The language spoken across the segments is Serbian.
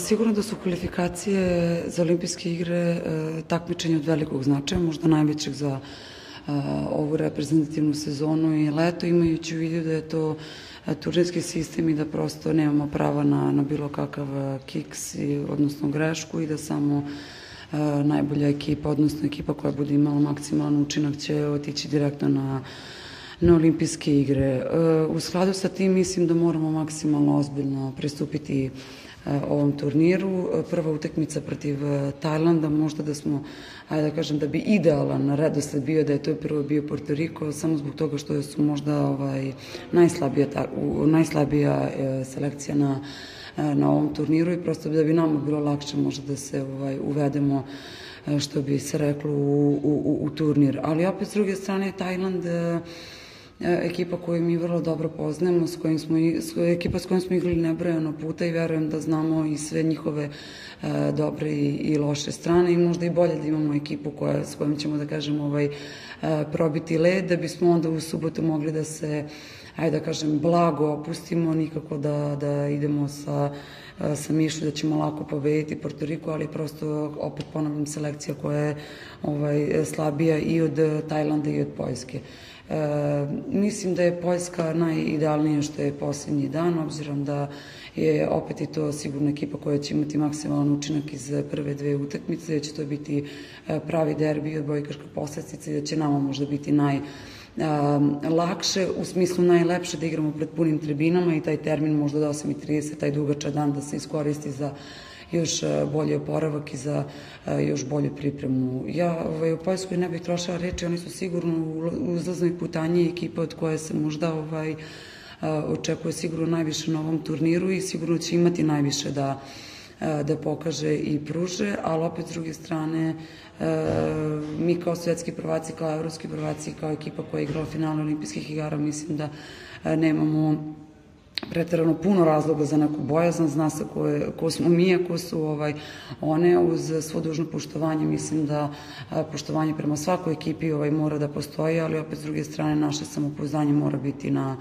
Sigurno da su kvalifikacije za olimpijske igre takmičenje od velikog značaja, možda najvećeg za ovu reprezentativnu sezonu i leto, imajući u vidu da je to turnirski sistem i da prosto nemamo prava na bilo kakav kiks, odnosno grešku, i da samo najbolja ekipa, odnosno ekipa koja bude imala maksimalan učinak će otići direktno na olimpijske igre. U skladu sa tim mislim da moramo maksimalno ozbiljno pristupiti ovom turniru. Prva utakmica protiv Tajlanda, možda da smo, ajde da kažem, da bi idealan redosled bio da je to prvo bio Porto Riko, samo zbog toga što su možda najslabija selekcija na ovom turniru i prosto da bi nama bilo lakše možda da se uvedemo, što bi se reklo, u turnir. Ali opet s druge strane Tajland ekipa koju mi vrlo dobro poznajemo, ekipa s kojom smo igrali nebrojeno puta i verujem da znamo i sve njihove dobre i loše strane i možda i bolje da imamo ekipu s kojom ćemo, da kažem, probiti led, da bismo onda u subotu mogli da se, ajde da kažem, blago opustimo, nikako da idemo sa mišlju da ćemo lako pobediti Porto Riko, ali prosto, opet ponavljam, selekcija koja je slabija i od Tajlanda i od Poljske. Mislim da je Poljska najidealnija što je posljednji dan, obzirom da je opet i to sigurno ekipa koja će imati maksimalan učinak iz prve dve utakmice, da će to biti pravi derbi, odbojkaška poslastica i da će nama možda biti najlakše, u smislu najlepše da igramo pred punim tribinama i taj termin možda do 8:30, taj dugačak dan da se iskoristi za još bolji oporavak i za još bolju pripremu. Ja u Poljskoj ne bih trošila reči, oni su sigurno u uzlaznoj putanji ekipa od koje se možda očekuje sigurno najviše na ovom turniru i sigurno će imati najviše da pokaže i pruže, ali opet s druge strane mi kao svetski prvaci, kao evropski prvaci, kao ekipa koja je igrala finale olimpijskih igara, mislim da nemamo preterano puno razloga za neku bojazan, zna se ko smo mi, a ko su one, uz svo dužno poštovanje. Mislim da poštovanje prema svakoj ekipi mora da postoji, ali opet s druge strane naše samopouzdanje mora biti na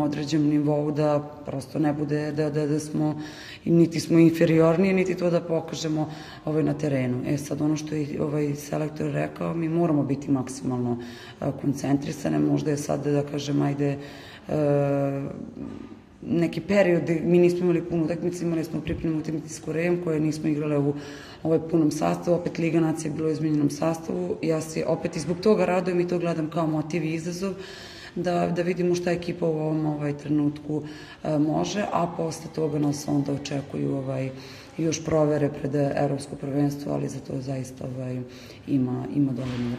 određenom nivou, da prosto ne bude da smo, niti smo inferiorniji, niti to da pokažemo na terenu. Sad ono što je selektor rekao, mi moramo biti maksimalno koncentrisane, možda je sad, da kažem, ajde, neki period, mi nismo imali puno utakmice, imali smo pripremnu utakmicu s Korejom koje nismo igrale u punom sastavu, opet Liga nacija je bila u izmenjenom sastavu, ja se opet i zbog toga radujem i to gledam kao motiv i izazov, da vidimo šta ekipa u ovom trenutku može, a posle toga nas onda očekuju još provere pred evropsko prvenstvo, ali za to zaista ima dovoljno.